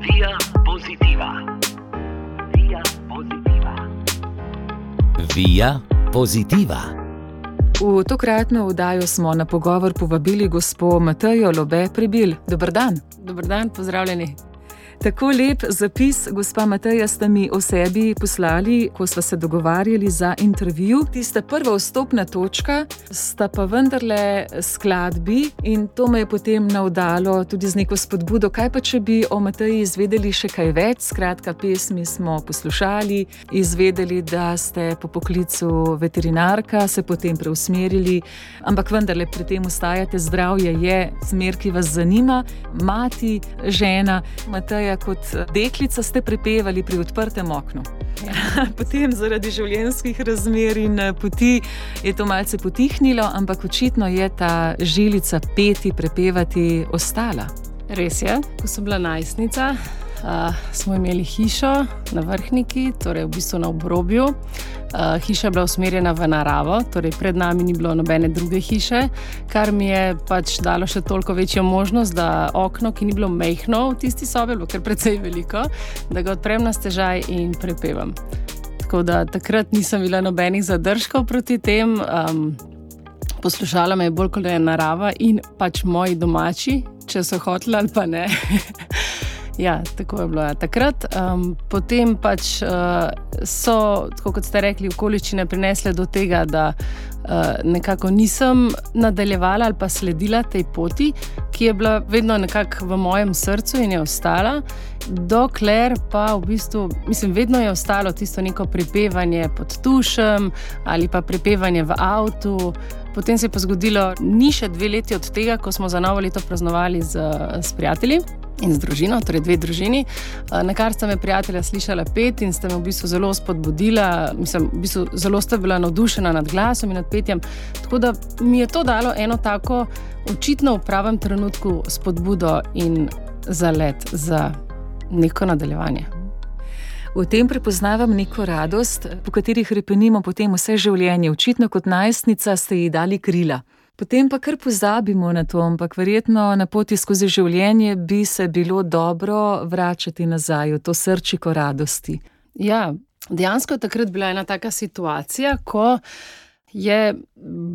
Via Positiva. Via Positiva. Via Positiva. V tokratno oddajo smo na pogovor povabili gospo Matejo Lobe Prebil. Dober dan. Dober dan, pozdravljeni. Tako lep zapis, gospa Mateja, ste mi o sebi poslali, ko sva se dogovarjali za intervju. Tista prva vstopna točka sta pa vendarle skladbi in to me je potem navdalo tudi z neko spodbudo. Kaj pa, če bi o Mateji izvedeli še kaj več? Skratka, pesmi smo poslušali, izvedeli, da ste po poklicu veterinarka, se potem preusmerili, ampak vendarle pri tem ostajate. Zdravje je smer, ki vas zanima. Mati, žena, Mateja, kot deklica ste prepevali pri odprtem oknu. Potem zaradi življenjskih razmer in poti je to malce potihnilo, ampak očitno je ta žilica peti, prepevati ostala. Res je, ko sem bila najstnica, smo imeli hišo na Vrhniki, torej v bistvu na obrobju. Hiša je bila usmerjena v naravo, torej pred nami ni bilo nobene druge hiše, kar mi je pač dalo še toliko večjo možnost, da okno, ki ni bilo majhno v tisti sobi, bilo kar precej veliko, da ga odprem na stežaj in prepevam. Tako da takrat nisem bila nobenih zadržkov proti tem. Poslušala me je bolj kot je narava in pač moji domači, če so hoteli ali pa ne. Ja, tako je bilo takrat. Potem pač so, tako kot ste rekli, okoliščine prinesle do tega, da nekako nisem nadaljevala ali pa sledila tej poti, ki je bila vedno nekako v mojem srcu in je ostala, dokler pa v bistvu, vedno je ostalo tisto neko prepevanje pod tušem ali pa prepevanje v avtu. Potem se je pa zgodilo, ni še 2 leti od tega, ko smo za novo leto praznovali s prijatelji in z družino, torej 2 družini, na kar sta me prijatelja slišala pet in sta me v bistvu zelo spodbudila, zelo sta bila navdušena nad glasom in nad petjem, tako da mi je to dalo eno tako očitno v pravem trenutku spodbudo in zalet za neko nadaljevanje. V tem prepoznavam neko radost, po katerih hrepenimo potem vse življenje. Očitno kot najstnica ste ji dali krila. Potem pa kar pozabimo na to, ampak verjetno na poti skozi življenje bi se bilo dobro vračati nazaj v to srčiko radosti. Ja, dejansko je takrat bila ena taka situacija, ko je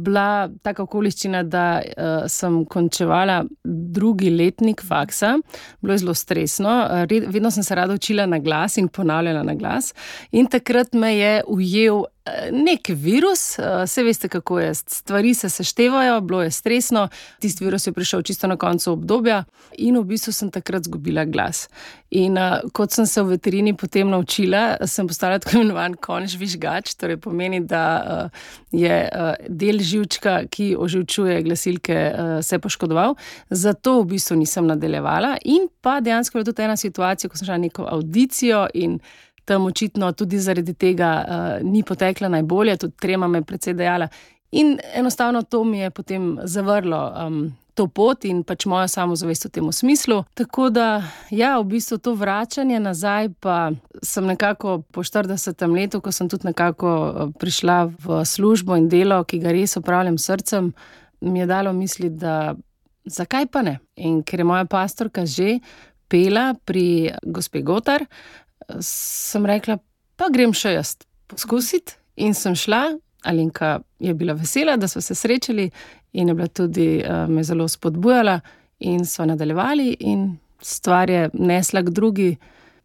bila taka okoliščina, da sem končevala 2. letnik faksa. Bilo je zelo stresno. Vedno sem se rada učila na glas in ponavljala na glas. In takrat me je ujel nek virus. Saj veste, kako je. Stvari se seštevajo, bilo je stresno. Tisti virus je prišel čisto na koncu obdobja in v bistvu sem takrat zgubila glas. In kot sem se v veterini potem naučila, sem postala tako imenovan konj žvižgač, torej pomeni, da je del živčka, ki oživčuje glasilke, se poškodoval. Zato v bistvu nisem nadaljevala. In pa dejansko je tudi ena situacija, ko sem šla neko avdicijo in tam očitno tudi zaradi tega ni potekla najbolje, tudi trema me precej dejala. In enostavno to mi je potem zavrlo to pot in pač mojo samozavest v tem smislu. Tako da, ja, v bistvu to vračanje nazaj pa sem nekako po 40. letu, ko sem tudi nekako prišla v službo in delo, ki ga res opravljam s srcem, mi je dalo misliti, da zakaj pa ne? In ker je moja pastorka že pela pri gospe Gotar, sem rekla, pa grem še jaz poskusiti in sem šla. Alenka je bila vesela, da smo se srečali in je bila tudi me zelo spodbujala in smo nadaljevali in stvar je nesla k drugi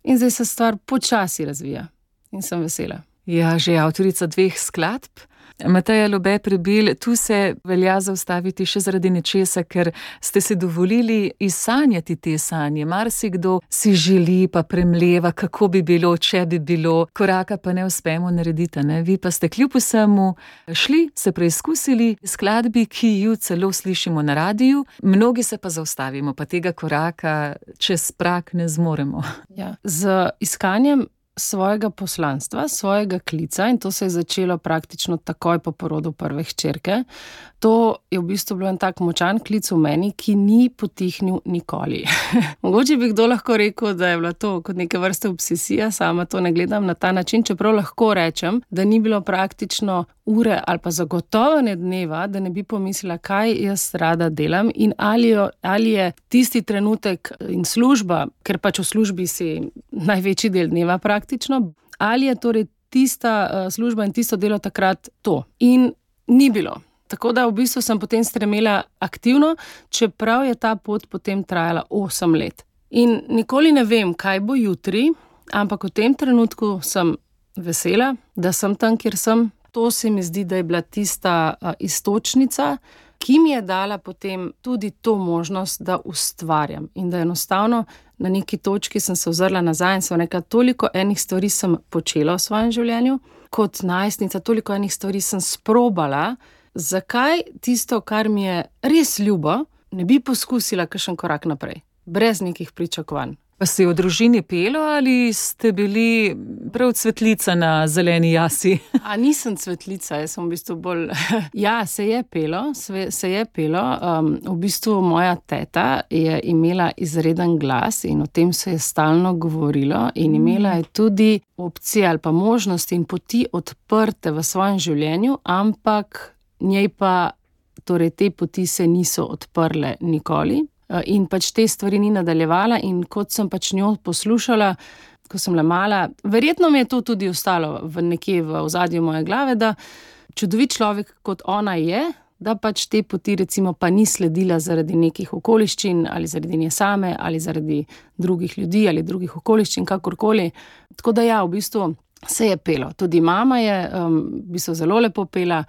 in zdaj se stvar počasi razvija in sem vesela. Ja, že avtorica 2 skladb. Mateja Lobe Prebil, tu se velja zaustaviti še zaradi nečesa, ker ste si dovolili izsanjati te sanje. Marsikdo si želi pa premleva, kako bi bilo, če bi bilo, koraka pa ne uspemo narediti, ne? Vi pa ste kljub vsemu šli, se preizkusili skladbi, ki ju celo slišimo na radiju, mnogi se pa zaustavimo, pa tega koraka čez prag ne zmoremo. Ja. Z iskanjem svojega poslanstva, svojega klica in to se je začelo praktično takoj po porodu prve hčerke. To je v bistvu bil en tak močan klic v meni, ki ni potihnil nikoli. Mogoče bi kdo lahko rekel, da je bila to kot neke vrste obsesija, sama to ne gledam na ta način, čeprav lahko rečem, da ni bilo praktično ure ali pa zagotovo ne dneva, da ne bi pomislila, kaj jaz rada delam in ali je tisti trenutek in služba, ker pač v službi si največji del dneva praktično, ali je torej tista služba in tisto delo takrat to. In ni bilo. Tako da v bistvu sem potem stremela aktivno, čeprav je ta pot potem trajala 8 let. In nikoli ne vem, kaj bo jutri, ampak v tem trenutku sem vesela, da sem tam, kjer sem. To se mi zdi, da je bila tista iztočnica, ki mi je dala potem tudi to možnost, da ustvarjam. In da enostavno na neki točki sem se ozrla nazaj in sem rekla, toliko enih stvari sem počela v svojem življenju, kot najstnica, toliko enih stvari sem sprobala. Zakaj tisto, kar mi je res ljubo, ne bi poskusila kakšen korak naprej, brez nekih pričakovanj? Pa si v družini pelo ali ste bili prav cvetlica na zeleni jasi? A nisem cvetlica, jaz sem v bistvu bolj... Ja, se je pelo. V bistvu moja teta je imela izreden glas in o tem se je stalno govorilo in imela je tudi opcije ali pa možnosti in poti odprte v svojem življenju, ampak njej pa torej te poti se niso odprle nikoli. In pač te stvari ni nadaljevala in kot sem pač njo poslušala, ko sem bila mala, verjetno mi je to tudi ostalo nekje v ozadju moje glave, da čudovit človek kot ona je, da pač te poti recimo pa ni sledila zaradi nekih okoliščin ali zaradi nje same ali zaradi drugih ljudi ali drugih okoliščin, kakorkoli. Tako da ja, v bistvu se je pelo. Tudi mama je v bistvu zelo lepo pela,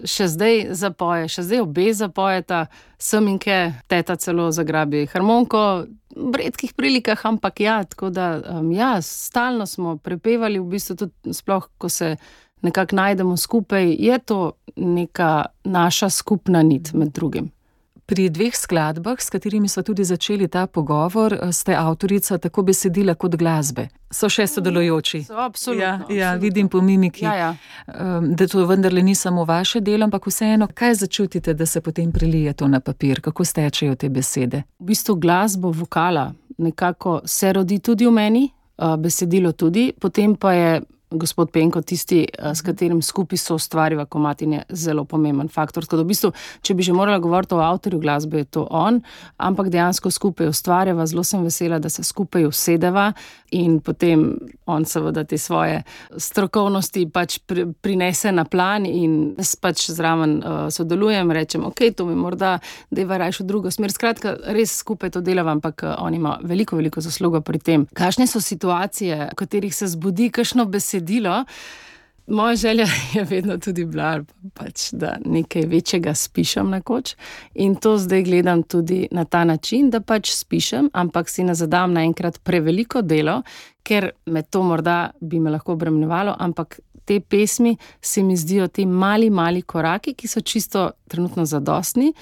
še zdaj zapoje, še zdaj obe zapojeta, Seminke, teta celo zagrabi harmoniko, v redkih prilikah, ampak ja, tako da ja, stalno smo prepevali, v bistvu tudi sploh, ko se nekako najdemo skupaj, je to neka naša skupna nit med drugim. Pri 2 skladbah, s katerimi so tudi začeli ta pogovor, ste avtorica tako besedila kot glasbe. So še sodelujoči. So, absolutno. Ja, vidim po mimiki, ja. Da to vendarle ni samo vaše delo, ampak vseeno, kaj začutite, da se potem prelije to na papir? Kako stečejo te besede? V bistvu glasbo vokala nekako se rodi tudi v meni, besedilo tudi, potem pa je gospod Penko tisti, s katerim skupaj soustvariva komad in je zelo pomemben faktor. Tako da v bistvu, če bi že morala govoriti o avtorju glasbe, je to on, ampak dejansko skupaj ustvarjava, zelo sem vesela, da se skupaj usedeva in potem on seveda te svoje strokovnosti pač prinese na plan in jaz pač zraven sodelujem, rečem, ok, to mi morda deva rajš v drugo smer. Skratka, res skupaj to delava, ampak on ima veliko zaslugo pri tem. Kakšne so situacije, v katerih se zbudi kakšno besedilo? Moja želja je vedno tudi bila, pač, da nekaj večjega spišem nekoč in to zdaj gledam tudi na ta način, da pač spišem, ampak si ne zadam naenkrat preveliko delo, ker me to morda bi me lahko obremenjevalo, ampak te pesmi se mi zdijo ti mali koraki, ki so čisto trenutno zadostni.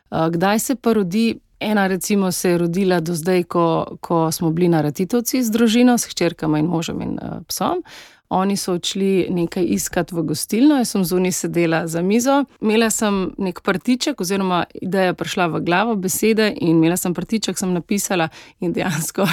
Kdaj se pa rodi? Ena recimo se je rodila do zdaj, ko smo bili na Ratitovci z družino, s hčerkama in možem in psom. Oni so odšli nekaj iskat v gostilno, jaz sem zunaj sedela za mizo, imela sem nek partiček oziroma ideja prišla v glavo, besede in imela sem partiček, sem napisala in dejansko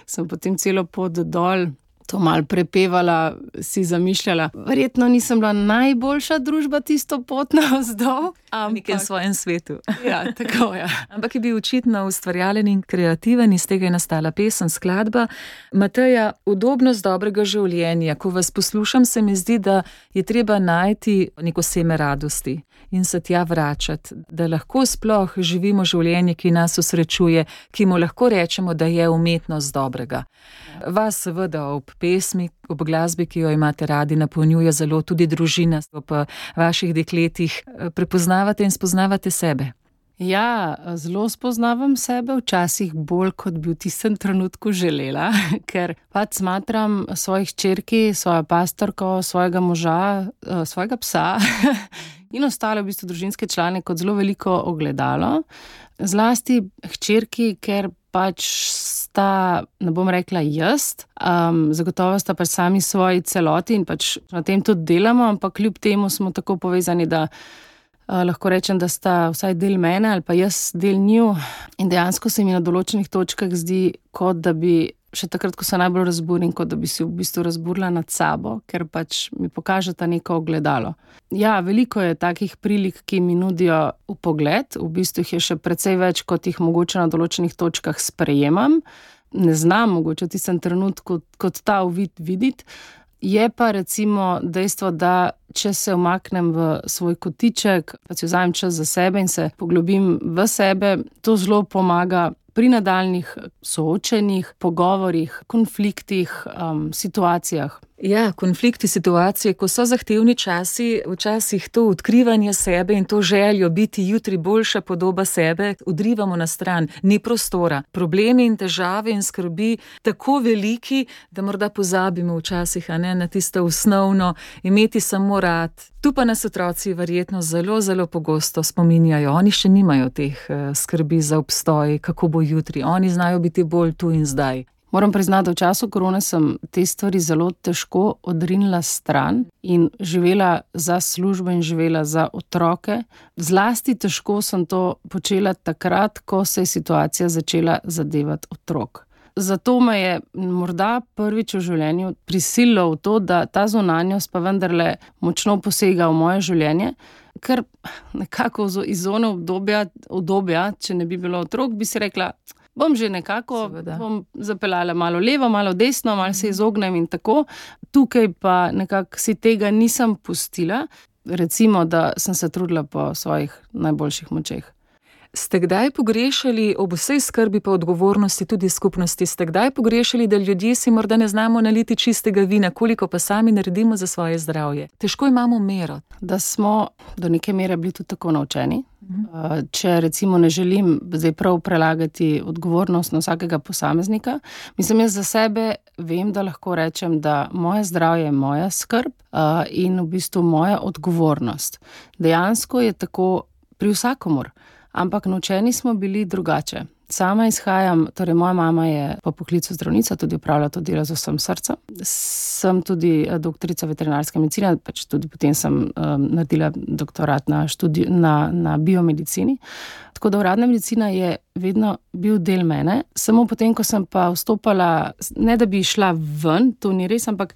sem potem celo pot dol to malo prepevala, si zamišljala. Verjetno nisem bila najboljša družba tisto pot navzdol. V nekem svojem svetu. Ja, tako, ja. Ampak je bil očitno ustvarjalen in kreativen, iz tega je nastala pesem, skladba. Mateja, udobnost dobrega življenja. Ko vas poslušam, se mi zdi, da je treba najti neko seme radosti in se tja vračati, da lahko sploh živimo življenje, ki nas osrečuje, ki mu lahko rečemo, da je umetnost dobrega. Vas seveda ob pesmi, ob glasbi, ki jo imate radi, napolnjuje zelo tudi družina, ob vaših dekletih. Prepoznavate in spoznavate sebe? Ja, zelo spoznavam sebe, včasih bolj, kot bi v tistem trenutku želela, ker pač smatram svojih hčerki, svojo pastorko, svojega moža, svojega psa in ostale v bistvu družinske člane kot zelo veliko ogledalo. Zlasti hčerki, ker pač sta, ne bom rekla jaz, zagotovo sta pač sami svoji celoti in pač na tem tudi delamo, ampak kljub temu smo tako povezani, da lahko rečem, da sta vsaj del mene ali pa jaz del nju. In dejansko se mi na določenih točkah zdi, kot da bi še takrat, ko se najbolj razburim, kot da bi si v bistvu razburila nad sabo, ker pač mi pokažeta neko ogledalo. Ja, veliko je takih prilik, ki mi nudijo vpogled, v bistvu jih je še precej več, kot jih mogoče na določenih točkah sprejemam. Ne znam mogoče v tistem trenutku kot ta uvid videti. Je pa recimo dejstvo, da če se umaknem v svoj kotiček, pa si vzamem čas za sebe in se poglobim v sebe, to zelo pomaga pri nadaljnih soočenjih, pogovorih, konfliktih, situacijah. Ja, konflikti, situacije, ko so zahtevni časi, včasih to odkrivanje sebe in to željo biti jutri boljša podoba sebe odrivamo na stran, ni prostora. Problemi in težave in skrbi tako veliki, da morda pozabimo včasih, na tisto osnovno, imeti samo rad. Tu pa nas otroci verjetno zelo, zelo pogosto spominjajo. Oni še nimajo teh skrbi za obstoj, kako bo jutri. Oni znajo biti bolj tu in zdaj. Moram priznati, da v času korone sem te stvari zelo težko odrinila stran in živela za službo in živela za otroke. Zlasti težko sem to počela takrat, ko se je situacija začela zadevati otrok. Zato me je morda prvič v življenju prisililo v to, da ta zunanjost pa vendarle močno posega v moje življenje, ker nekako iz zone obdobja, če ne bi bilo otrok, bi si rekla, bom že nekako, bom zapeljala malo levo, malo desno, malo se izognem in tako. Tukaj pa nekako si tega nisem pustila. Recimo, da sem se trudila po svojih najboljših močeh. Ste kdaj pogrešali ob vsej skrbi pa odgovornosti tudi skupnosti? Ste kdaj pogrešali, da ljudje si morda ne znamo naliti čistega vina, koliko pa sami naredimo za svoje zdravje? Težko imamo mero. Da smo do neke mere bili tudi tako naučeni. Če recimo ne želim zdaj prav prelagati odgovornost na vsakega posameznika, mislim, jaz za sebe vem, da lahko rečem, da moje zdravje je moja skrb in v bistvu moja odgovornost. Dejansko je tako pri vsakomur. Ampak naučeni smo bili drugače. Sama izhajam, torej moja mama je po poklicu zdravnica, tudi opravlja to delo z vsem srcem. Sem tudi doktorica veterinarske medicine, pač tudi potem sem naredila doktorat na biomedicini. Tako da uradna medicina je vedno bil del mene. Samo potem, ko sem pa vstopala, ne da bi šla ven, to ni res, ampak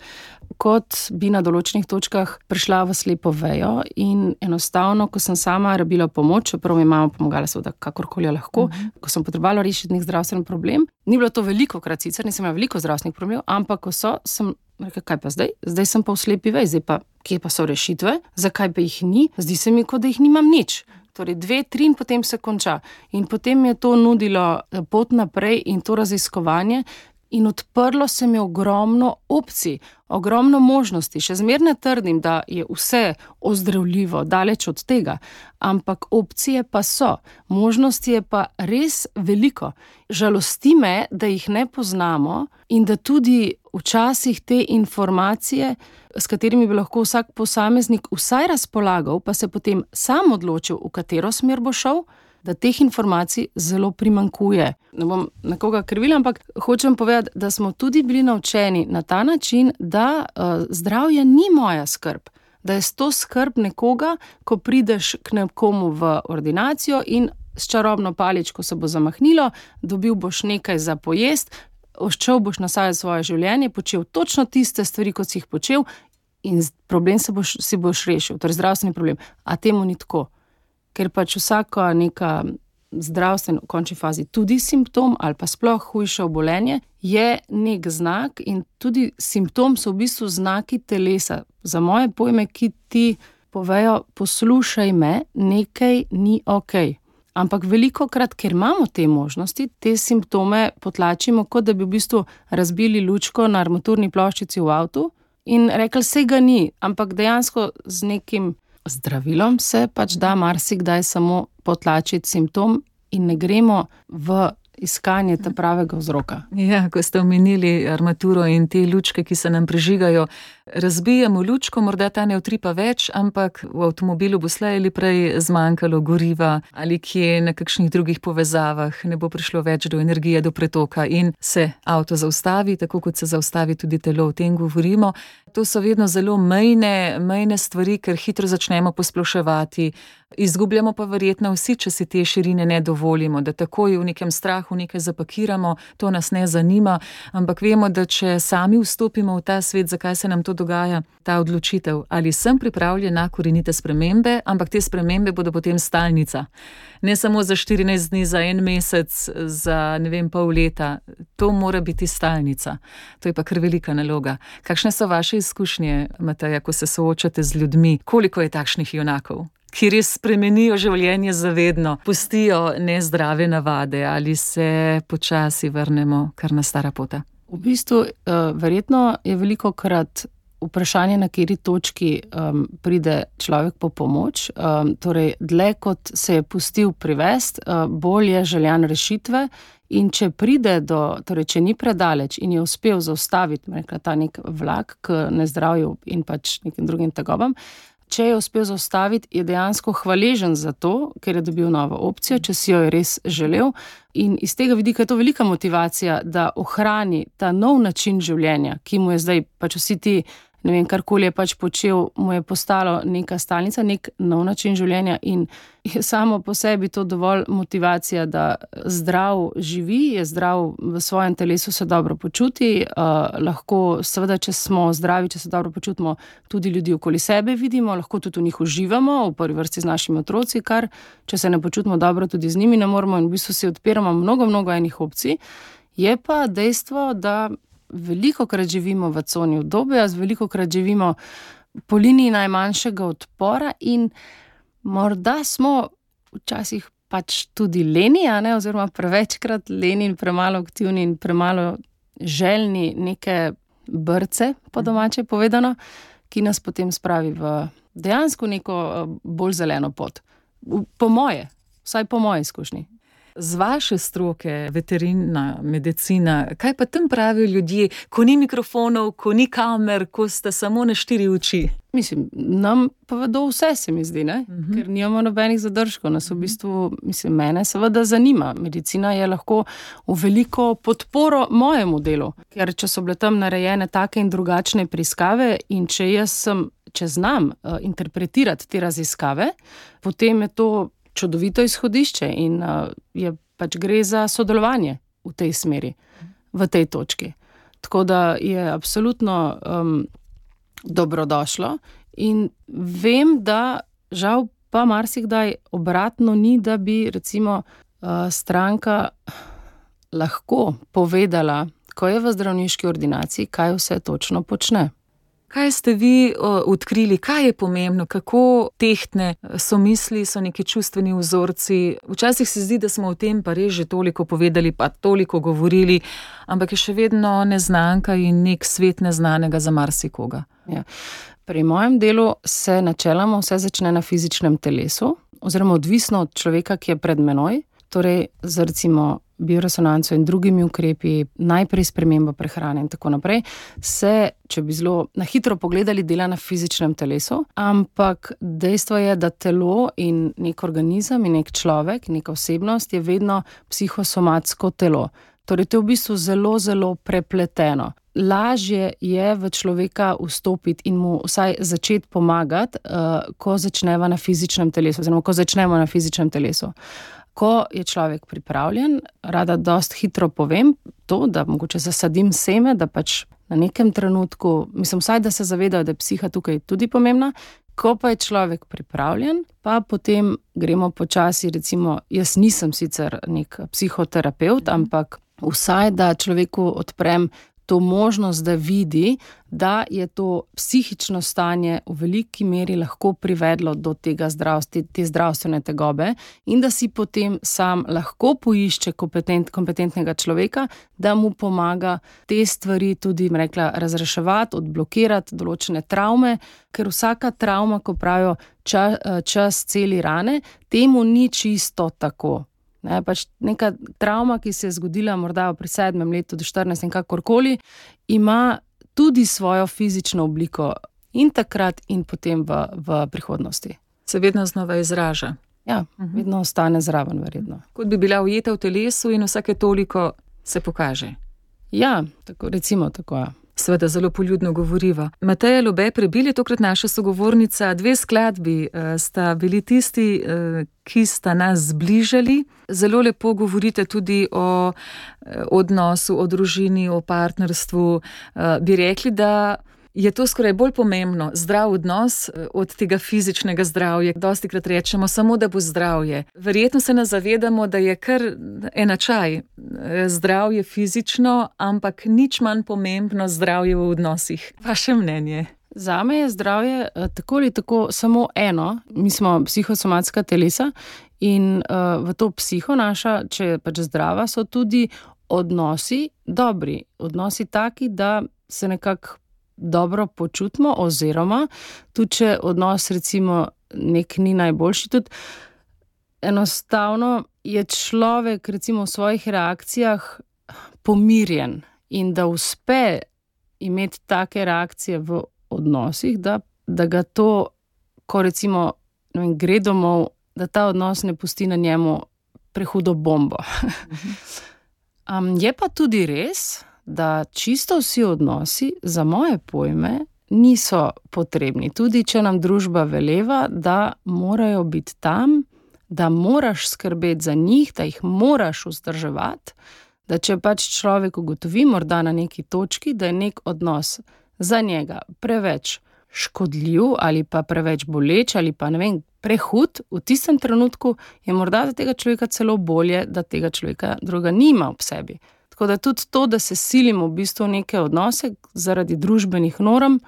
kot bi na določenih točkah prišla v slepo vejo in enostavno, ko sem sama rabila pomoč, čeprav mi mama pomagala seveda kakorkoli lahko, ko sem potrebovala rešiti nek zdravstveni problem, ni bilo to velikokrat sicer, nisem imela veliko zdravstvenih problemov, ampak ko sem rekla, kaj pa zdaj? Zdaj sem pa v slepi veji, zdaj pa, kje pa so rešitve? Zakaj pa jih ni? Zdi se mi, kot da jih nimam nič. Torej 2, 3 in potem se konča. In potem je to nudilo pot naprej in to raziskovanje in odprlo se mi ogromno opcij, ogromno možnosti. Še zmeraj ne trdim, da je vse ozdravljivo, daleč od tega, ampak opcije pa so. Možnosti je pa res veliko. Žalosti me, da jih ne poznamo in da tudi včasih te informacije, s katerimi bi lahko vsak posameznik vsaj razpolagal, pa se potem sam odločil, v katero smer bo šel, da teh informacij zelo primanjkuje. Ne bom nekoga krivila, ampak hočem povedati, da smo tudi bili naučeni na ta način, da zdravje ni moja skrb, da je to skrb nekoga, ko prideš k nekomu v ordinacijo in s čarobno paličko se bo zamahnilo, dobil boš nekaj za pojest, odšel boš nazaj svoje življenje, počel točno tiste stvari, kot si jih počel in problem si boš rešil, torej zdravstveni problem. A temu ni tako. Ker pač vsaka neka zdravstvena v končni fazi tudi simptom ali pa sploh hujše obolenje je nek znak in tudi simptom so v bistvu znaki telesa. Za moje pojme, ki ti povejo, poslušaj me, nekaj ni okej. Ampak velikokrat, ker imamo te možnosti, te simptome potlačimo, kot da bi v bistvu razbili lučko na armaturni ploščici v avtu in rekli, saj ga ni, ampak dejansko z nekim zdravilom se pač da marsikdaj samo potlačiti simptom in ne gremo v iskanje ta pravega vzroka. Ja, ko ste omenili armaturo in te lučke, ki se nam prižigajo, razbijamo lučko, morda ta ne utripa več, ampak v avtomobilu bo slej ali prej zmanjkalo goriva ali kje na kakšnih drugih povezavah, ne bo prišlo več do energije, do pretoka in se avto zaustavi, tako kot se zaustavi tudi telo, o tem govorimo. To so vedno zelo mejne stvari, ker hitro začnemo posploševati. Izgubljamo pa verjetno vsi, če si te širine ne dovolimo, da takoj v nekem strahu nekaj zapakiramo, to nas ne zanima, ampak vemo, da če sami vstopimo v ta svet, zakaj se nam to dogaja, ta odločitev, ali sem pripravljen na korenite spremembe, ampak te spremembe bodo potem stalnica. Ne samo za 14 dni, za 1 mesec, za pol leta. To mora biti stalnica. To je pa kar velika naloga. Kakšne so vaše izkušnje, Mateja, ko se soočate z ljudmi? Koliko je takšnih junakov, ki res spremenijo življenje zavedno, pustijo nezdrave navade ali se počasi vrnemo kar na stara pota? V bistvu, verjetno je velikokrat vprašanje, na kateri točki pride človek po pomoč. Torej, dlje kot se je pustil privesti, bolj je željan rešitve. In če pride torej, če ni predaleč in je uspel zaustaviti, ta nek vlak k nezdravju in pač nekim drugim tegobam, če je uspel zaustaviti, je dejansko hvaležen za to, ker je dobil novo opcijo, če si jo je res želel. In iz tega vidika je to velika motivacija, da ohrani ta nov način življenja, ki mu je zdaj pač vsi ti, karkoli je pač počel, mu je postalo neka stalnica, nek nov način življenja in je samo po sebi to dovolj motivacija, da zdrav živi, je zdrav v svojem telesu, se dobro počuti, lahko seveda, če smo zdravi, če se dobro počutimo, tudi ljudi okoli sebe vidimo, lahko tudi v njih uživamo, v prvi vrsti z našimi otroci, kar, če se ne počutimo dobro, tudi z njimi ne moremo in v bistvu si odpiramo mnogo enih opcij. Je pa dejstvo, da velikokrat živimo v coni udobja, velikokrat živimo po liniji najmanjšega odpora in morda smo včasih pač tudi leni, oziroma prevečkrat leni in premalo aktivni in premalo željni neke brce, po domače povedano, ki nas potem spravi v dejansko neko bolj zeleno pot. Vsaj po moji izkušnji. Z vaše stroke, veterina, medicina, kaj pa tam pravijo ljudje, ko ni mikrofonov, ko ni kamer, ko sta samo na 4 oči? Mislim, nam povedo vse, se mi zdi, ker nimamo nobenih zadržkov. Nas v bistvu, mene seveda zanima. Medicina je lahko v veliko podporo mojemu delu, ker če so bile tam narejene take in drugačne preiskave in če znam interpretirati te raziskave, potem je to čudovito izhodišče in pač gre za sodelovanje v tej smeri, v tej točki. Tako da je absolutno dobrodošlo in vem, da žal pa marsikdaj obratno ni, da bi recimo stranka lahko povedala, ko je v zdravniški ordinaciji, kaj vse točno počne. Kaj ste vi odkrili, kaj je pomembno, kako tehtne so misli, so neki čustveni vzorci? Včasih se zdi, da smo o tem pa res že toliko povedali, pa toliko govorili, ampak je še vedno neznanka in nek svet neznanega za marsikoga. Ja. Pri mojem delu se načeloma vse začne na fizičnem telesu, oziroma odvisno od človeka, ki je pred menoj, torej z recimo bioresonanco in drugimi ukrepi, najprej spremembo prehrane in tako naprej, se, če bi zelo na hitro pogledali, dela na fizičnem telesu, ampak dejstvo je, da telo in nek organizem in nek človek, neka osebnost je vedno psihosomatsko telo. Torej, to je v bistvu zelo, zelo prepleteno. Lažje je v človeka vstopiti in mu vsaj začeti pomagati, ko začnemo na fizičnem telesu. Ko je človek pripravljen, rada dosti hitro povem to, da mogoče zasadim seme, da pač na nekem trenutku, vsaj da se zavedajo, da je psiha tukaj tudi pomembna. Ko pa je človek pripravljen, pa potem gremo počasi, recimo, jaz nisem sicer nek psihoterapevt, ampak vsaj, da človeku odprem to možnost, da vidi, da je to psihično stanje v veliki meri lahko privedlo do te zdravstvene tegobe in da si potem sam lahko poišče kompetentnega človeka, da mu pomaga te stvari tudi, razreševati, odblokirati določene travme, ker vsaka travma, ko pravijo čas celi rane, temu ni čisto tako. Ne, pač neka travma, ki se je zgodila morda pri 7. letu do 14. kakorkoli, ima tudi svojo fizično obliko in takrat in potem v prihodnosti. Se vedno znova izraža. Ja, vedno ostane zraven, verjetno. Kot bi bila ujeta v telesu in vsake toliko se pokaže. Ja, tako, recimo tako, ja. Seveda zelo poljudno govoriva. Mateja Lobe Prebil je tokrat naša sogovornica. 2 skladbi sta bili tisti, ki sta nas zbližali. Zelo lepo govorite tudi o odnosu, o družini, o partnerstvu. Bi rekli, da je to skoraj bolj pomembno, zdrav odnos od tega fizičnega zdravja. Dostikrat rečemo samo, da bo zdravje. Verjetno se nas zavedamo, da je kar enačaj zdravje fizično, ampak nič manj pomembno zdravje v odnosih. Vaše mnenje? Zame je zdravje tako ali tako samo eno. Mi smo psihosomatska telesa in v to psiho naša, če je pač zdrava, so tudi odnosi dobri. Odnosi taki, da se nekako dobro počutimo, oziroma tudi če odnos recimo nek ni najboljši, tudi enostavno je človek recimo v svojih reakcijah pomirjen in da uspe imeti take reakcije v odnosih, da ga to, ko recimo gre domov, da ta odnos ne pusti na njemu prehudo bombo. Je pa tudi res, da čisto vsi odnosi za moje pojme niso potrebni. Tudi če nam družba veleva, da morajo biti tam, da moraš skrbeti za njih, da jih moraš vzdrževati, da če pač človek ugotovi morda na neki točki, da je nek odnos za njega preveč škodljiv ali pa preveč boleč ali pa prehud, v tistem trenutku je morda za tega človeka celo bolje, da tega človeka druga nima ob sebi. Tako da tudi to, da se silimo v bistvu neke odnose zaradi družbenih norm,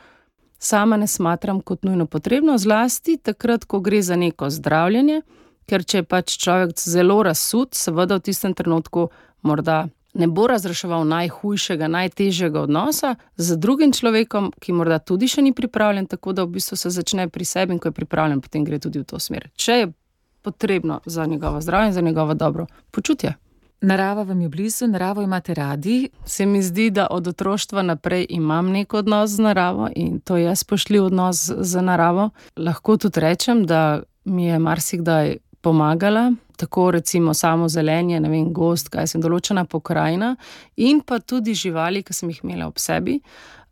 sama ne smatram kot nujno potrebno, zlasti takrat, ko gre za neko zdravljenje, ker če je pač človek zelo razsut, seveda v tistem trenutku morda ne bo razreševal najhujšega, najtežjega odnosa z drugim človekom, ki morda tudi še ni pripravljen, tako da v bistvu se začne pri sebi in ko je pripravljen, potem gre tudi v to smer. Če je potrebno za njegovo zdravje in za njegovo dobro počutje. Narava vam je blizu, naravo imate radi. Se mi zdi, da od otroštva naprej imam nek odnos z naravo in to je spoštljiv odnos z naravo. Lahko tudi rečem, da mi je marsikdaj pomagala, tako recimo samo zelenje, gost, kaj sem določena pokrajina in pa tudi živali, ki sem jih imela ob sebi.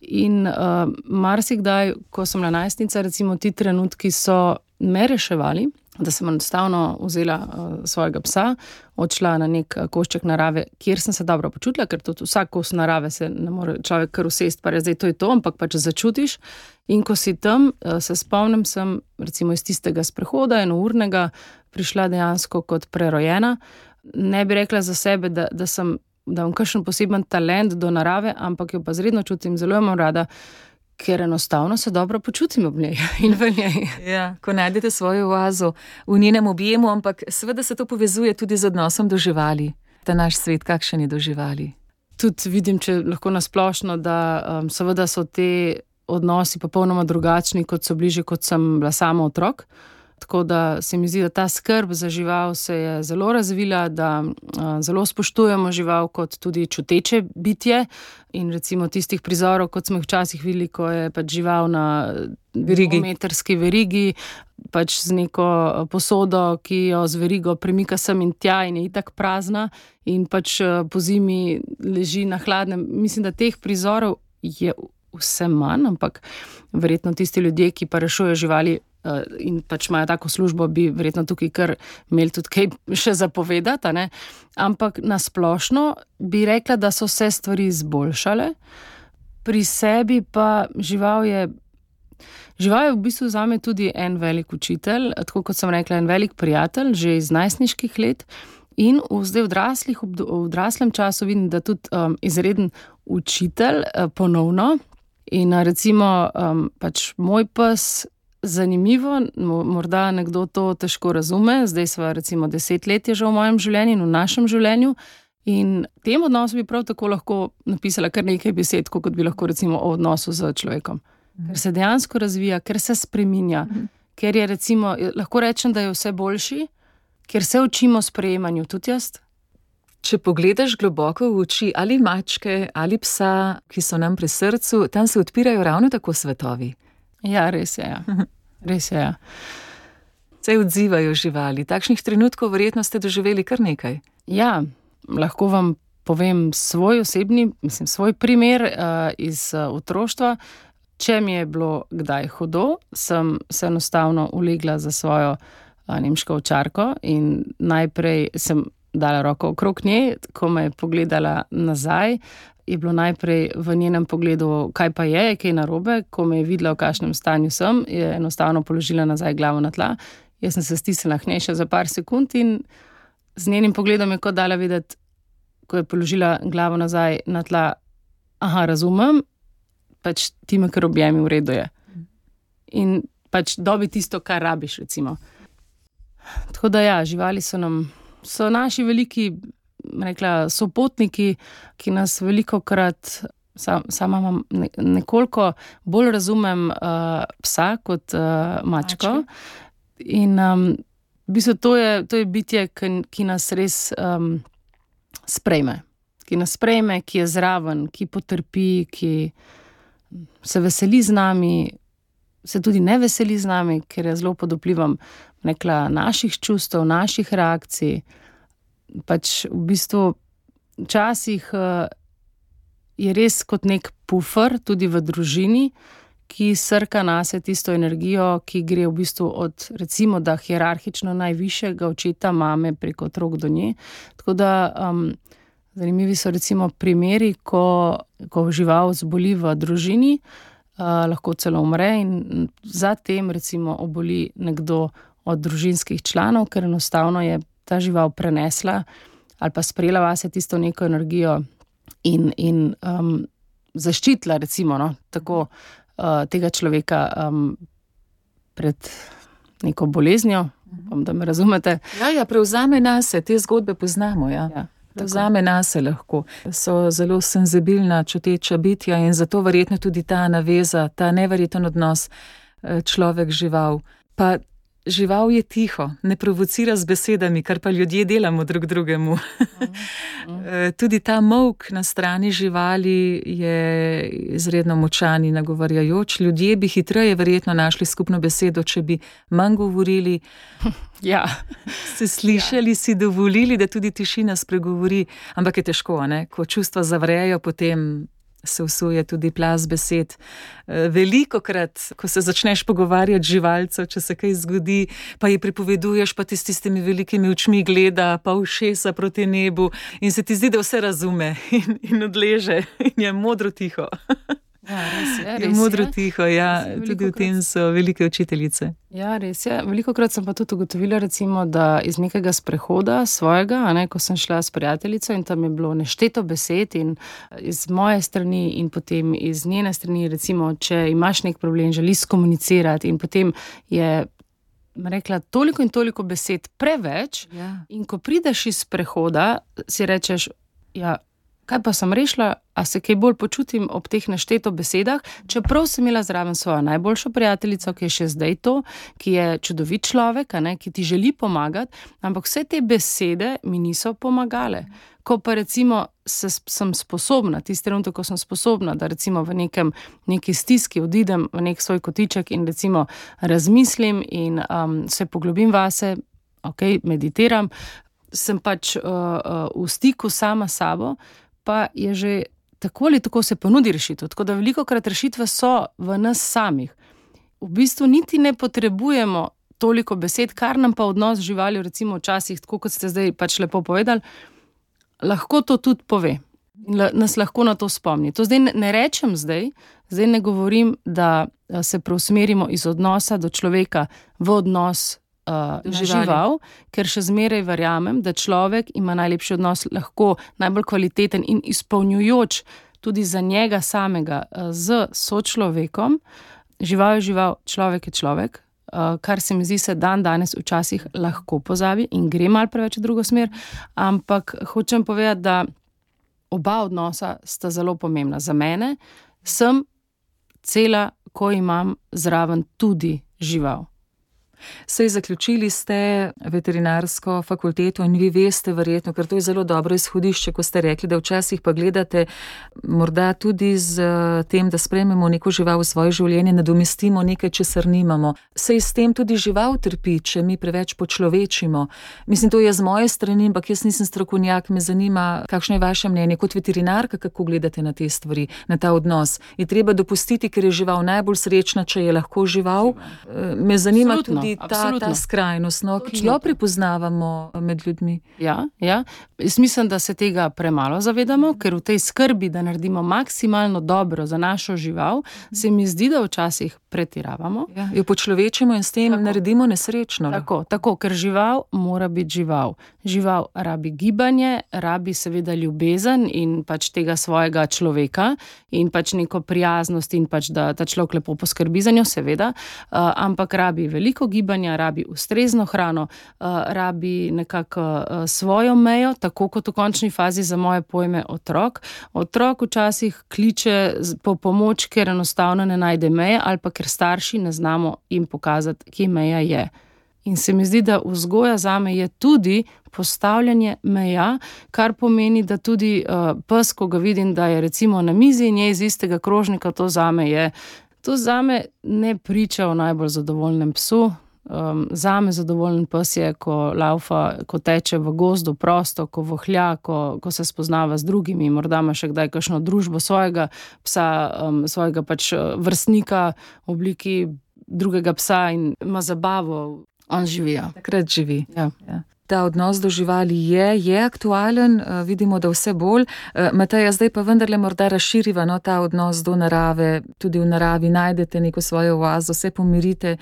In marsikdaj, ko sem bila najstnica, recimo ti trenutki so me reševali, da sem enostavno vzela svojega psa, odšla na nek košček narave, kjer sem se dobro počutila, ker tudi vsak kos narave se ne more človek kar usesti, pa zdaj to je to, ampak pač začutiš. In ko si tam, se spomnim, sem recimo iz tistega sprehoda, enournega, prišla dejansko kot prerojena. Ne bi rekla za sebe, da imam kakšen poseben talent do narave, ampak jo pa zredno čutim, zelo jo imam rada, ker enostavno se dobro počutim ob njej in v njej. Ja, ko najdete svojo oazo v njenem objemu, ampak seveda se to povezuje tudi z odnosom do živali. Ta naš svet, kakšen je do živali? Tudi vidim, če lahko nasplošno, da seveda so te odnosi popolnoma drugačni, kot so bliže, kot sem bila sama otrok. Tako da se mi zdi, da ta skrb za žival se je zelo razvila, da zelo spoštujemo žival kot tudi čuteče bitje in recimo tistih prizorov, kot smo jih včasih videli, ko je pač žival na dvometrski verigi, pač z neko posodo, ki jo z verigo premika sem in tja in je itak prazna in pač po zimi leži na hladnem. Mislim, da teh prizorov je vse manj, ampak verjetno tisti ljudje, ki pa rešujejo živali in pač imajo tako službo, bi verjetno tukaj kar imeli tudi kaj še zapovedati, ne? Ampak nasplošno bi rekla, da so se stvari izboljšale. Pri sebi pa žival je v bistvu zame tudi en velik učitelj, tako kot sem rekla, en velik prijatelj, že iz najstniških let. In zdaj v odraslem času vidim, da tudi izreden učitelj ponovno. In recimo pač moj pes, zanimivo, morda nekdo to težko razume, zdaj sva recimo 10 let je že v mojem življenju in v našem življenju in tem odnosu bi prav tako lahko napisala kar nekaj besed, kot bi lahko recimo o odnosu z človekom. Ker se dejansko razvija, ker se spreminja, ker je recimo, lahko rečem, da je vse boljši, kjer se učimo sprejemanju, tudi jaz. Če pogledaš globoko v oči ali mačke ali psa, ki so nam pri srcu, tam se odpirajo ravno tako svetovi. Ja, res je. Ja. Res je. Ja. Se odzivajo živali. Takšnih trenutkov verjetno ste doživeli kar nekaj. Ja, lahko vam povem svoj primer iz otroštva. Če mi je bilo kdaj hudo, sem se enostavno ulegla za svojo nemško ovčarko in najprej sem dala roko okrog nje, ko me je pogledala nazaj, je bilo najprej v njenem pogledu, kaj pa je, kaj narobe, ko me je videla, v kakšnem stanju sem, je enostavno položila nazaj glavo na tla. Jaz sem se stisnila k njej še za par sekund in z njenim pogledom je kot dala videti, ko je položila glavo nazaj na tla, aha, razumem, pač ti me kar objemi, v redu je. In pač dobi tisto, kar rabiš, recimo. Tako da ja, živali so naši veliki, rekla, sopotniki, ki nas velikokrat, sama imam nekoliko bolj razumem psa kot mačko. In v bistvu to je bitje, ki nas res sprejme. Ki nas sprejme, ki je zraven, ki potrpi, ki se veseli z nami, se tudi ne veseli z nami, ker je zelo pod vplivom naših čustev, naših reakcij. Pač v bistvu včasih je res kot nek pufer tudi v družini, ki srka nase tisto energijo, ki gre v bistvu od, recimo, da hierarhično najvišjega očeta, mame preko otrok do nje. Tako da zanimivi so recimo primeri, ko žival zboli v družini, lahko celo umre in zatem recimo oboli nekdo od družinskih članov, ker enostavno je ta žival prenesla ali pa sprejela vase tisto neko energijo in zaščitila recimo, tako tega človeka pred neko boleznijo, da me razumete. Ja, prevzame nase, te zgodbe poznamo, ja. Prevzame nase lahko. So zelo senzibilna, čuteča bitja in zato verjetno tudi ta naveza, ta neverjeten odnos človek-žival. Pa žival je tiho, ne provocira z besedami, kar pa ljudje delamo drug drugemu. Tudi ta molk na strani živali je izredno močan in nagovarjajoč. Ljudje bi hitreje verjetno našli skupno besedo, če bi manj govorili. Ja. Se slišali, si dovolili, da tudi tišina spregovori. Ampak je težko, ne? Ko čustva zavrejo, potem se vsuje tudi plaz besed. Velikokrat, ko se začneš pogovarjati živalcev, če se kaj zgodi, pa ji pripoveduješ, pa ti s tistimi velikimi očmi gleda, pa ušesa proti nebu in se ti zdi, da vse razume in odleže in je modro tiho. Ja, res je. Je modro tiho, ja. Tudi v tem so velike učiteljice. Ja, res je. Velikokrat sem pa tudi ugotovila, recimo, da iz nekega sprehoda svojega, ko sem šla s prijateljico in tam je bilo nešteto besed in iz moje strani in potem iz njene strani, recimo, če imaš nek problem, želiš komunicirati in potem je rekla toliko in toliko besed preveč. Ja. In ko prideš iz sprehoda, si rečeš, ja, kaj pa sem rešila, a se kaj bolj počutim ob teh nešteto besedah, čeprav sem imela zraven svojo najboljšo prijateljico, ki je še zdaj to, ki je čudovit človek, ki ti želi pomagati, ampak vse te besede mi niso pomagale. Ko pa recimo sem sposobna, tisti trenutek, ko sem sposobna, da recimo v neki stiski odidem v nek svoj kotiček in recimo razmislim in se poglobim vase, meditiram, sem pač v stiku sama s sabo, pa je že tako ali tako se ponudi rešitev. Tako da velikokrat rešitve so v nas samih. V bistvu niti ne potrebujemo toliko besed, kar nam pa odnos z živaljo, recimo včasih, tako kot ste zdaj pač lepo povedali, lahko to tudi pove. In nas lahko na to spomni. To zdaj ne rečem zdaj ne govorim, da se preusmerimo iz odnosa do človeka v odnos žival, ker še zmeraj verjamem, da človek ima najlepši odnos, lahko najbolj kvaliteten in izpolnjujoč tudi za njega samega z sočlovekom. Žival je žival, človek je človek, kar se mi zdi se danes včasih lahko pozabi in gre malo preveč v drugo smer, ampak hočem povedati, da oba odnosa sta zelo pomembna. Za mene sem cela, ko imam zraven tudi žival. Sej zaključili ste veterinarsko fakulteto in vi veste verjetno, ker to je zelo dobro izhodišče, ko ste rekli, da včasih pa gledate morda tudi z tem, da sprejmemo neko žival v svoje življenje, nadomestimo nekaj, česar nimamo. Sej s tem tudi žival trpi, če mi preveč počlovečimo. Mislim, to je z moje strani, ampak jaz nisem strokovnjak, me zanima, kakšno je vaše mnenje kot veterinarka, kako gledate na te stvari, na ta odnos. Je treba dopustiti, ker je žival najbolj srečna, če je lahko žival. Me zanima tudi ta skrajnost, ki jo prepoznavamo med ljudmi. Ja. Jaz mislim, da se tega premalo zavedamo, ker v tej skrbi, da naredimo maksimalno dobro za našo žival, se mi zdi, da včasih pretiravamo. Jo počlovečimo in s tem naredimo nesrečno. Tako, ker žival mora biti žival. Žival rabi gibanje, rabi seveda ljubezen in pač tega svojega človeka in pač neko prijaznost in pač, da ta človek lepo poskrbi za njo, seveda, ampak rabi veliko gibanja, rabi ustrezno hrano, rabi nekako svojo mejo, tako kot v končni fazi za moje pojme otrok. Otrok včasih kliče po pomoč, ker enostavno ne najde meje ali pa ker starši ne znamo jim pokazati, kje meja je. In se mi zdi, da vzgoja zame je tudi postavljanje meja, kar pomeni, da tudi pes, ko ga vidim, da je recimo na mizi in je iz istega krožnika, to zame ne priča o najbolj zadovoljnem psu. Zame zadovoljen pes je, ko laufa, ko teče v gozdu prosto, ko vohlja, ko se spoznava z drugimi, morda ima še kdaj kakšno družbo svojega psa, svojega pač vrstnika v obliki drugega psa in ima zabavo. On živijo. Takrat živi. Ja. Ta odnos do živali je aktualen, vidimo, da vse bolj. Mateja, zdaj pa vendarle morda razširiva ta odnos do narave. Tudi v naravi najdete neko svojo oazo, se pomirite,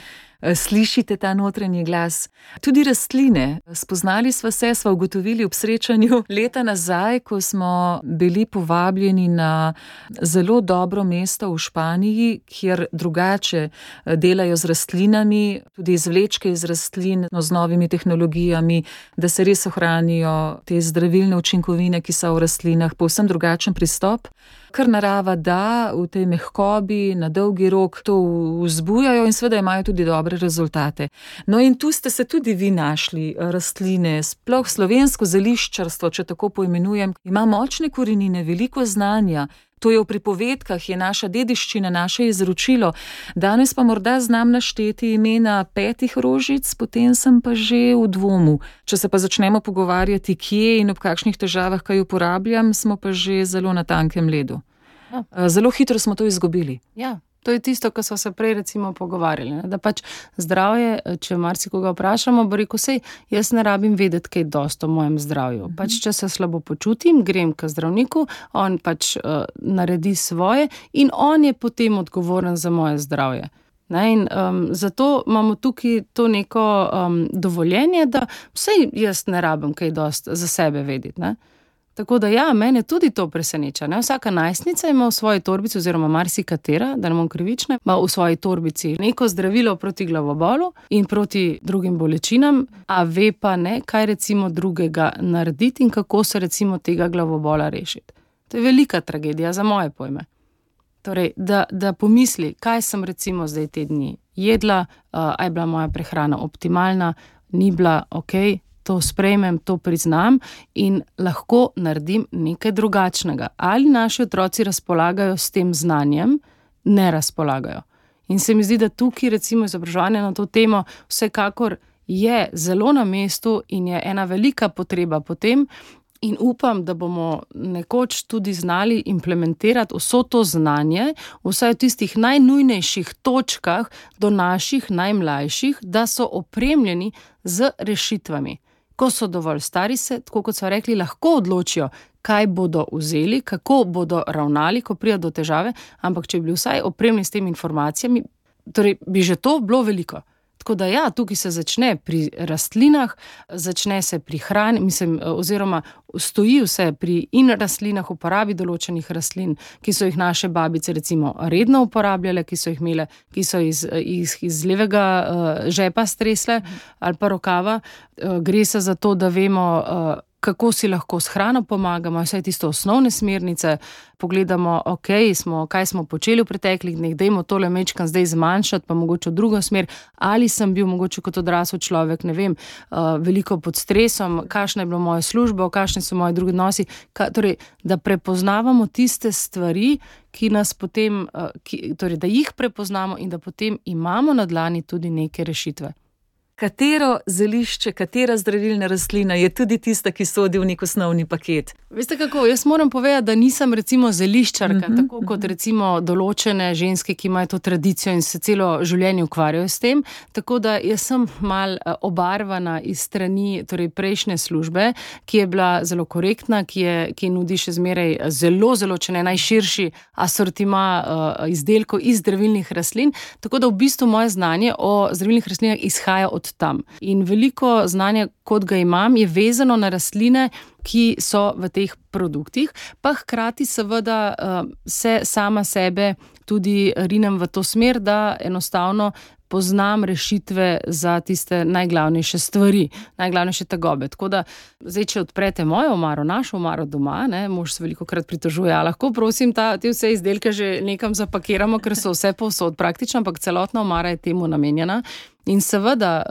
slišite ta notranji glas. Tudi rastline. Spoznali sva ugotovili ob srečanju leta nazaj, ko smo bili povabljeni na zelo dobro mesto v Španiji, kjer drugače delajo z rastlinami, tudi izvlečke iz rastlin, z novimi tehnologijami, da se res ohranijo te zdravilne učinkovine, ki so v rastlinah, povsem drugačen pristop. Kar narava da v tej mehkobi, na dolgi rok to vzbujajo in seveda imajo tudi dobre rezultate. No in tu ste se tudi vi našli, rastline, sploh slovensko zeliščarstvo, če tako poimenujem, ima močne korenine, veliko znanja. To je v pripovedkah, je naša dediščina, naše izročilo. Danes pa morda znam našteti imena 5 rožic, potem sem pa že v dvomu. Če se pa začnemo pogovarjati, kje in ob kakšnih težavah, kaj uporabljam, smo pa že zelo na tankem ledu. Zelo hitro smo to izgubili. Ja. To je tisto, ko smo se prej recimo pogovarjali, da pač zdravje, če marsikoga vprašamo, bo rekel, sej, jaz ne rabim vedeti kaj dosti o mojem zdravju. Pač, če se slabo počutim, grem k zdravniku, on pač naredi svoje in on je potem odgovoren za moje zdravje. In zato imamo tukaj to neko dovoljenje, da sej jaz ne rabim kaj dosti za sebe vedeti, ne? Tako da ja, mene tudi to preseneča. Vsaka najstnica ima v svoji torbici, oziroma marsikatera, da ne bom krivična, ima v svoji torbici neko zdravilo proti glavobolu in proti drugim bolečinam, a ve pa ne, kaj recimo drugega narediti in kako se recimo tega glavobola rešiti. To je velika tragedija za moje pojme. Torej, da pomisli, kaj sem recimo zdaj te dni jedla, a je bila moja prehrana optimalna, ni bila okej, to sprejmem, to priznam in lahko naredim nekaj drugačnega. Ali naši otroci razpolagajo s tem znanjem? Ne razpolagajo. In se mi zdi, da tukaj recimo izobraževanje na to temo vsekakor je zelo na mestu in je ena velika potreba po tem in upam, da bomo nekoč tudi znali implementirati vso to znanje, vsaj v tistih najnujnejših točkah do naših najmlajših, da so opremljeni z rešitvami. Ko so dovolj stari se, tako kot so rekli, lahko odločijo, kaj bodo vzeli, kako bodo ravnali, ko pride do težave, ampak če bi bili vsaj opremljeni s temi informacijami, torej bi že to bilo veliko. Tako da ja, tukaj se začne pri rastlinah, začne se pri hrani, oziroma stoji vse pri in rastlinah, uporabi določenih rastlin, ki so jih naše babice recimo redno uporabljale, ki so jih imele, ki so iz levega žepa stresle ali pa rokava. Gre se za to, da vemo, kako si lahko s hrano pomagamo, vse tisto osnovne smernice, pogledamo, kaj smo počeli v preteklih dneh, dajmo tole mečkan zdaj zmanjšati, pa mogoče v drugo smer, ali sem bil mogoče kot odrasel človek, ne vem, veliko pod stresom, kakšna je bila moja služba, kakšni so moji drugi odnosi, torej, da prepoznavamo tiste stvari, ki nas potem, torej, da jih prepoznamo in da potem imamo na dlani tudi neke rešitve. Katero zelišče, katera zdravilna rastlina je tudi tista, ki sodi v nek osnovni paket? Veste kako, jaz moram povedati, da nisem recimo zeliščarka, tako kot recimo določene ženske, ki imajo to tradicijo in se celo življenje ukvarjajo s tem, tako da jaz sem mal obarvana iz strani torej prejšnje službe, ki je bila zelo korektna, ki nudi še zmeraj zelo, če ne najširši asortima izdelkov iz zdravilnih rastlin, tako da v bistvu moje znanje o zdravilnih rastlinah izhaja od tam. In veliko znanja, kot ga imam, je vezano na rastline, ki so v teh produktih, pa hkrati seveda se sama sebe tudi rinem v to smer, da enostavno poznam rešitve za tiste najglavnejše stvari, najglavnejše tegobe. Tako da, zdaj, če odprete mojo omaro, našo omaro doma, mož se velikokrat pritožuje, a lahko prosim te vse izdelke že nekam zapakiramo, ker so vse povsod praktično, ampak celotna omara je temu namenjena. In seveda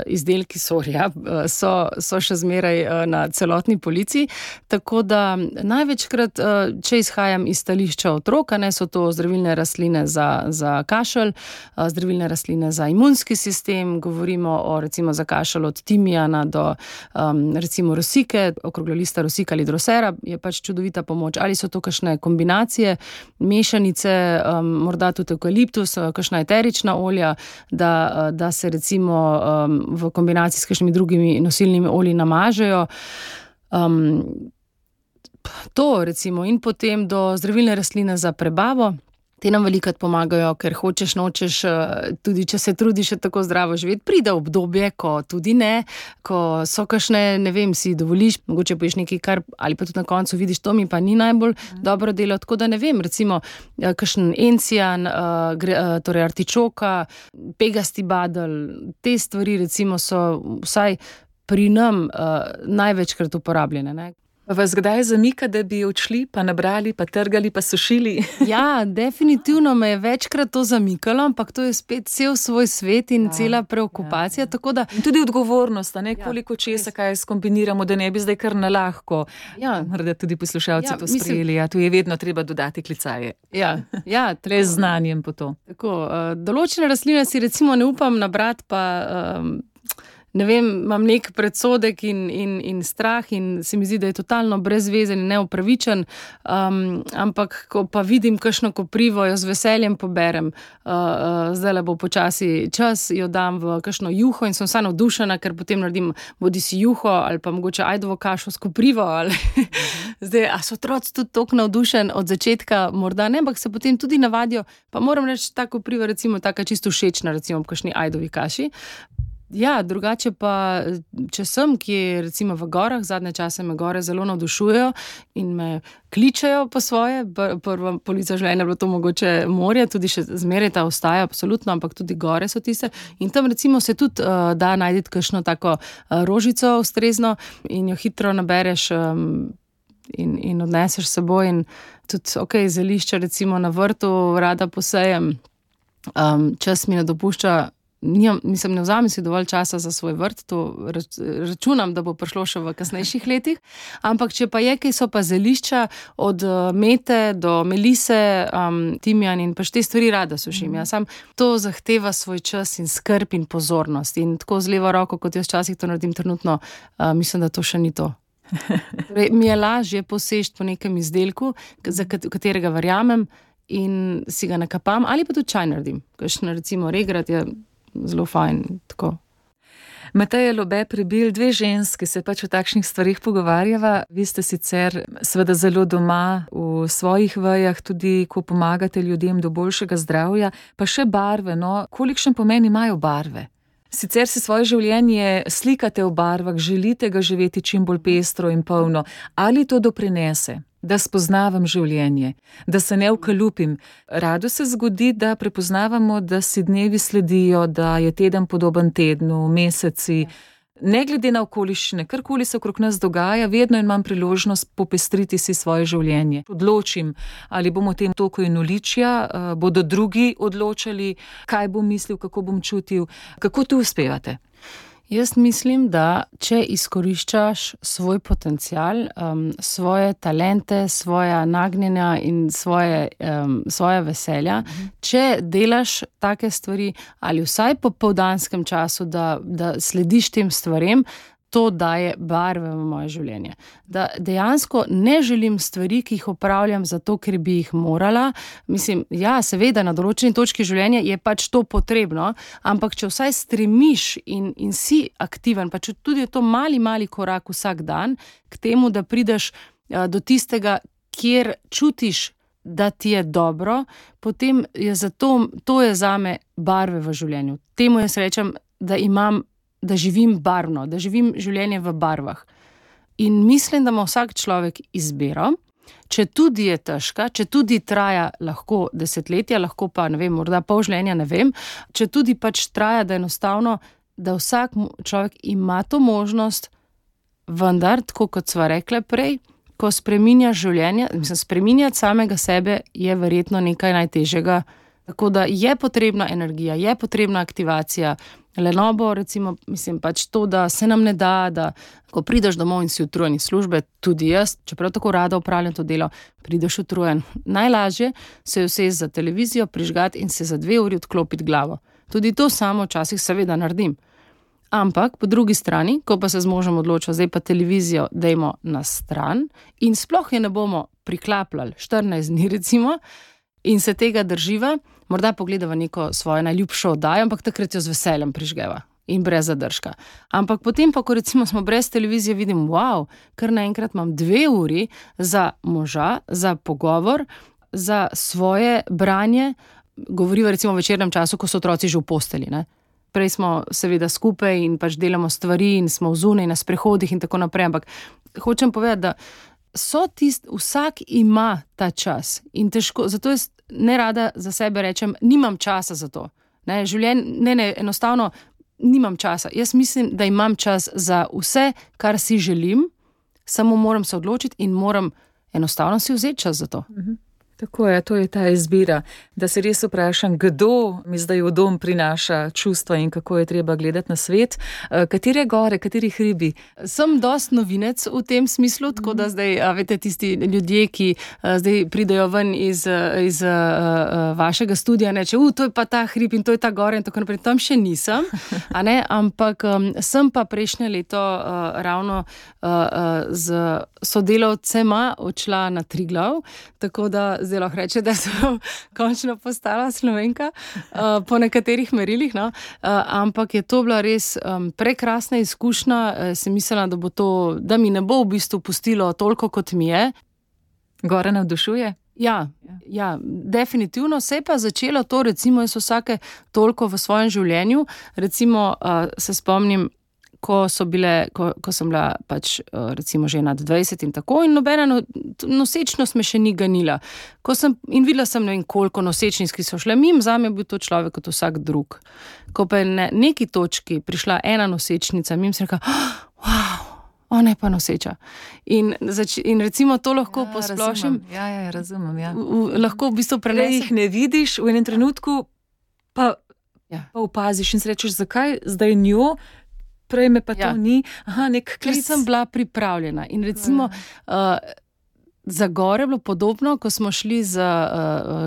izdelki so še zmeraj na celotni polici, tako da največkrat, če izhajam iz stališča otroka, so to zdravilne rastline za kašelj, zdravilne rastline za imunski sistem, govorimo recimo za kašelj od timijana do recimo rosike, okroglolista rosika ali drosera je pač čudovita pomoč, ali so to kakšne kombinacije, mešanice, morda tudi evkaliptus, kakšna eterična olja, da se recimo v kombinaciji s kakšnimi drugimi nosilnimi olji namažejo. To recimo in potem do zdravilne rastline za prebavo. Te nam velikokrat pomagajo, ker hočeš, nočeš, tudi če se trudiš še tako zdravo živeti, pride obdobje, ko tudi ne, ko so kakšne, ne vem, si dovoliš, mogoče poješ nekaj, ali pa tudi na koncu vidiš, to mi pa ni najbolj dobro delo, tako da ne vem, recimo, kakšen encijan, torej artičoka, pegasti badelj, te stvari recimo so vsaj pri nam največkrat uporabljene, ne. Vas kdaj zamika, da bi odšli, pa nabrali, pa trgali, pa sušili? Ja, definitivno me je večkrat to zamikalo, ampak to je spet cel svoj svet in cela preokupacija, tako da... In tudi odgovornost, koliko česa, kaj skombiniramo, da ne bi zdaj kar na lahko. Morda tudi poslušalci to sprejeli, tu je vedno treba dodati klicaje. Le z znanjem po to. Tako, določene rastline si recimo ne upam nabrati, pa... Ne vem, imam nek predsodek in strah in se mi zdi, da je totalno brezvezen in neupravičen, ampak ko pa vidim kakšno koprivo, jo z veseljem poberem. Zdajle bo počasi čas, jo dam v kakšno juho in sem vsa navdušena, ker potem naredim bodisi juho ali pa mogoče ajdovo kašo s koprivo. Zdaj, a so otroci tudi toliko navdušen od začetka? Morda ne, ampak se potem tudi navadijo. Pa moram reči, ta kopriva recimo taka čisto všečna, recimo v kakšni ajdovi kaši. Ja, drugače pa, če sem, ki je recimo v gorah, zadnje čase me gore zelo navdušujejo in me kličejo po svoje, prva polica življenja je bilo to mogoče morje, tudi še zmeraj ta ostaja, absolutno, ampak tudi gore so tiste in tam recimo se tudi da najdeti kakšno tako rožico ustrezno in jo hitro nabereš in odneseš s seboj in tudi, zelišča recimo na vrtu rada posejem, čas mi ne dopušča. Ne vzamem si dovolj časa za svoj vrt, to računam, da bo prišlo še v kasnejših letih, ampak če pa je, kaj so pa zelišča od mete do melise, timijan in pač te stvari rada sušim. Sam to zahteva svoj čas in skrb in pozornost in tako z levo roko, kot jaz včasih to naredim trenutno, mislim, da to še ni to. Torej, mi je lažje poseči po nekem izdelku, za katerega verjamem in si ga nakapam ali pa tudi čaj naredim. Kakšen recimo regrat je zelo fajn, tako. Mateja Lobe Prebilj, dve ženske se pač o takšnih stvarih pogovarjava. Vi ste sicer seveda zelo doma v svojih vejah, tudi ko pomagate ljudem do boljšega zdravja, pa še barve, kolikšen pomen imajo barve? Sicer si svoje življenje slikate v barvah, želite ga živeti čim bolj pestro in polno, ali to doprinese? Da spoznavam življenje, da se ne ukalupim. Rado se zgodi, da prepoznavamo, da si dnevi sledijo, da je teden podoben tednu, meseci. ne glede na okoliščine, karkoli se okrog nas dogaja, vedno imam priložnost popestriti si svoje življenje. Odločim, ali bom v tem toku enoličja, bodo drugi odločali, kaj bom mislil, kako bom čutil. Kako tu uspevate? Jaz mislim, da če izkoriščaš svoj potencial, svoje talente, svoja nagnjenja in svoja veselja, če delaš take stvari ali vsaj po popoldanskem času, da slediš tem stvarem, to daje barve v moje življenje. Da dejansko ne želim stvari, ki jih opravljam zato, ker bi jih morala. Mislim, ja, seveda, na določeni točki življenja je pač to potrebno, ampak če vsaj stremiš in si aktiven, pa če tudi je to mali korak vsak dan k temu, da prideš do tistega, kjer čutiš, da ti je dobro, potem je to je zame barve v življenju. Temu jaz rečem, da živim barvno, da živim življenje v barvah. In mislim, da ima vsak človek izbiro, če tudi je težka, če tudi traja lahko desetletja, lahko pa, ne vem, morda pol življenja, ne vem, če tudi pač traja, da enostavno, da vsak človek ima to možnost, vendar, tako kot sva rekla prej, ko spreminjaš življenje, spreminjati samega sebe je verjetno nekaj najtežjega. Tako da je potrebna energija, je potrebna aktivacija, lenobo, recimo, pač to, da se nam ne da, da ko prideš domov in si utrujen iz službe, tudi jaz, čeprav tako rada opravljam to delo, prideš utrujen. Najlažje se je usesti za televizijo, prižgati in se za 2 uri odklopiti glavo. Tudi to samo včasih seveda naredim. Ampak po drugi strani, ko pa se z možem odločil, zdaj pa televizijo dajmo na stran in sploh je ne bomo priklapljali 14 dni recimo in se tega drživa, morda pogledava neko svojo najljubšo oddajo, ampak takrat jo z veseljem prižgeva in brez zadržka. Ampak potem pa, ko recimo smo brez televizije, vidim, wow, kar naenkrat imam 2 uri za moža, za pogovor, za svoje branje, govoriva recimo v večernem času, ko so otroci že v posteli, ne? Prej smo seveda skupaj in pač delamo stvari in smo zunaj na sprehodih in tako naprej, ampak hočem povedati, da vsak ima ta čas in težko, zato jaz ne rada za sebe rečem, nimam časa za to. Enostavno nimam časa. Jaz mislim, da imam čas za vse, kar si želim, samo moram se odločiti in moram enostavno si vzeti čas za to. Tako je, to je ta izbira, da se res vprašam, kdo mi zdaj v dom prinaša čustva in kako je treba gledati na svet. Katere gore, kateri hribi? Sem dost novinec v tem smislu, tako da zdaj, veste, tisti ljudje, ki zdaj pridejo ven iz vašega studia, neče, to je pa ta hrib in to je ta gora in tako naprej. Tam še nisem, ampak sem pa prejšnje leto ravno z sodelavcema odšla na Triglav, tako da zdaj lahko reče, da sem končno postala Slovenka po nekaterih merilih, no? Ampak je to bila res prekrasna izkušnja, sem mislila, da mi ne bo v bistvu pustilo toliko, kot mi je. Gora navdušuje? Ja, definitivno se je pa začelo to, recimo jaz vsake toliko v svojem življenju, recimo se spomnim, ko sem bila pač recimo že nad 20 in tako in nobena nosečnost me še ni ganila. In videla sem ne vem koliko nosečnic, ki so šle mimo, zame je bil to človek kot vsak drug. Ko pa je na neki točki prišla ena nosečnica, mimo sem rekla, wow, ona je pa noseča. In recimo to lahko posplošim. Razumem. Lahko v bistvu prenesem. Jih ne vidiš, v enem trenutku pa opaziš in si rečeš, zakaj zdaj njo, prej me pa to ni. Nek klic. Ker sem bila pripravljena. In recimo za gore je bilo podobno, ko smo šli z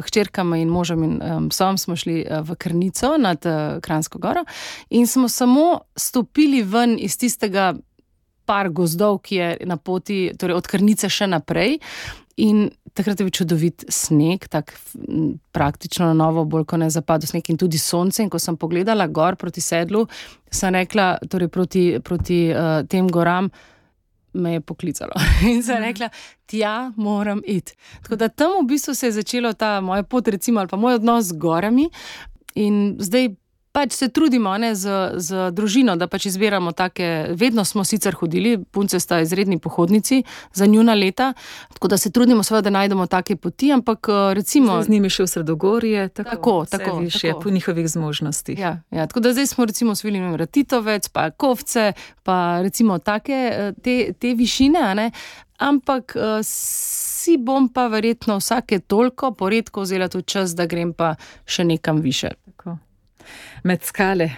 hčerkama in možem in psom, smo šli v Krnico nad Kranjsko goro in smo samo stopili ven iz tistega par gozdov, ki je na poti, torej od Krnice še naprej. In takrat je bil čudovit sneg, tak praktično na novo, bolj ko ne zapadel sneg in tudi sonce. In ko sem pogledala gor proti sedlu, sem rekla, torej proti tem goram, me je poklicalo. In sem rekla, tja moram iti. Tako da tam v bistvu se je začelo ta moja pot, recimo, ali pa moj odnos z gorami. In zdaj pač se trudimo z družino, da pač izbiramo take, vedno smo sicer hodili, punce sta izredni pohodnici za njuna leta, tako da se trudimo seveda, da najdemo take poti, ampak recimo... Z njimi še v Sredogorje, tako višje, po njihovih zmožnostih. Ja, tako da zdaj smo recimo osvojili Ratitovec, pa Kovce, pa recimo take, te višine, a ne? Ampak si bom pa verjetno vsake toliko poredko vzela tudi čas, da grem pa še nekam više. Tako. Med skale.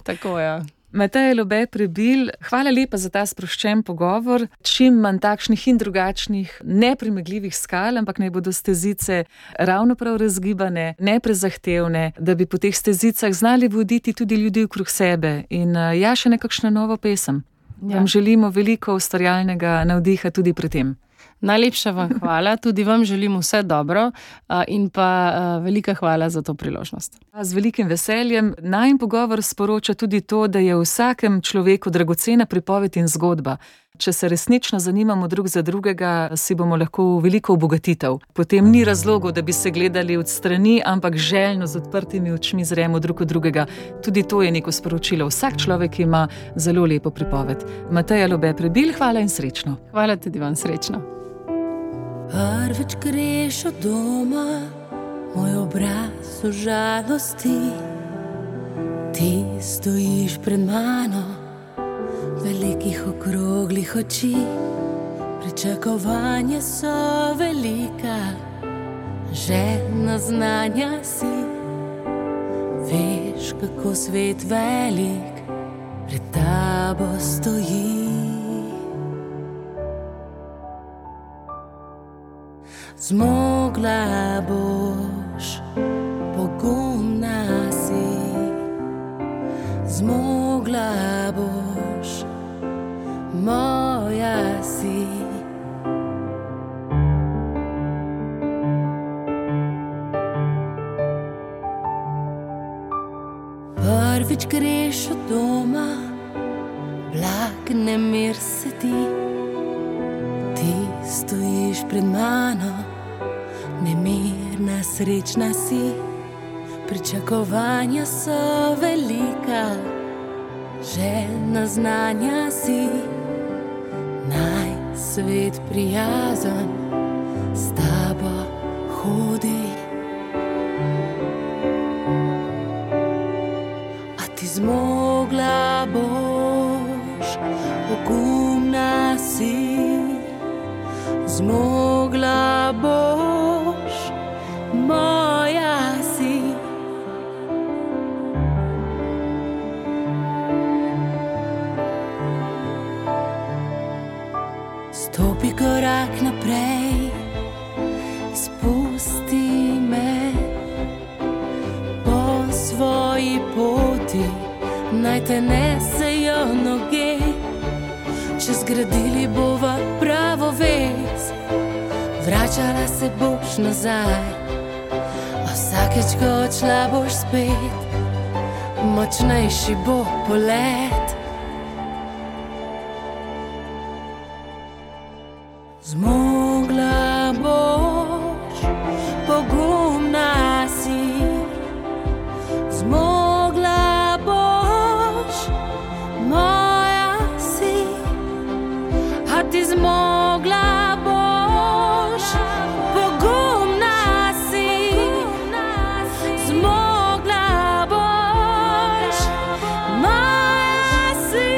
Tako, ja. Mateja Lobe Prebilj, hvala lepa za ta sproščen pogovor. Čim manj takšnih in drugačnih, nepremagljivih skal, ampak naj bodo stezice ravno prav razgibane, neprezahtevne, da bi po teh stezicah znali voditi tudi ljudi okrog sebe. In še nekakšna nova pesem. Vam želimo veliko ustvarjalnega navdiha tudi pri tem. Najlepša vam hvala, tudi vam želim vse dobro in pa velika hvala za to priložnost. Z velikim veseljem. Najin pogovor sporoča tudi to, da je v vsakem človeku dragocena pripoved in zgodba. Če se resnično zanimamo drug za drugega, si bomo lahko veliko obogatitev. Potem ni razlogov, da bi se gledali od strani, ampak željno z odprtimi očmi zremo drug od drugega. Tudi to je neko sporočilo. Vsak človek ima zelo lepo pripoved. Mateja Lobe Prebilj, hvala in srečno. Hvala tudi vam, srečno. Prvič greš od doma, moj obraz v žalosti. Ti stojiš pred mano, velikih okroglih oči. Pričakovanja so velika, željna znanja si. Veš, kako svet velik pred tabo stoji. Zmogla boš, pogumna si. Zmogla boš, moja si. Prvič greš od doma, blag nemir se ti. Ti stojiš pred mano, nemirna, srečna si. Pričakovanja so velika, željna znanja si. Naj svet prijazen s tabo hodi. A ti zmogla boš, pogumna si. Zmogla boš, moja si. Stopi korak naprej, izpusti me. Po svoji poti naj te nesejo noge. Če zgradili bova pravo vez, vračala se boš nazaj. A vsakeč, ko odšla boš spet, močnejši bo polet. Zmogla boš, pogumna si. Zmogla boš, moja si. A ti zmogla boš, pogumna si. Zmogla boš, moja si.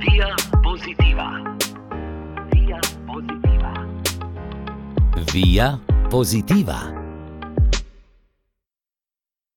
Via Positiva. Via Positiva. Via Positiva.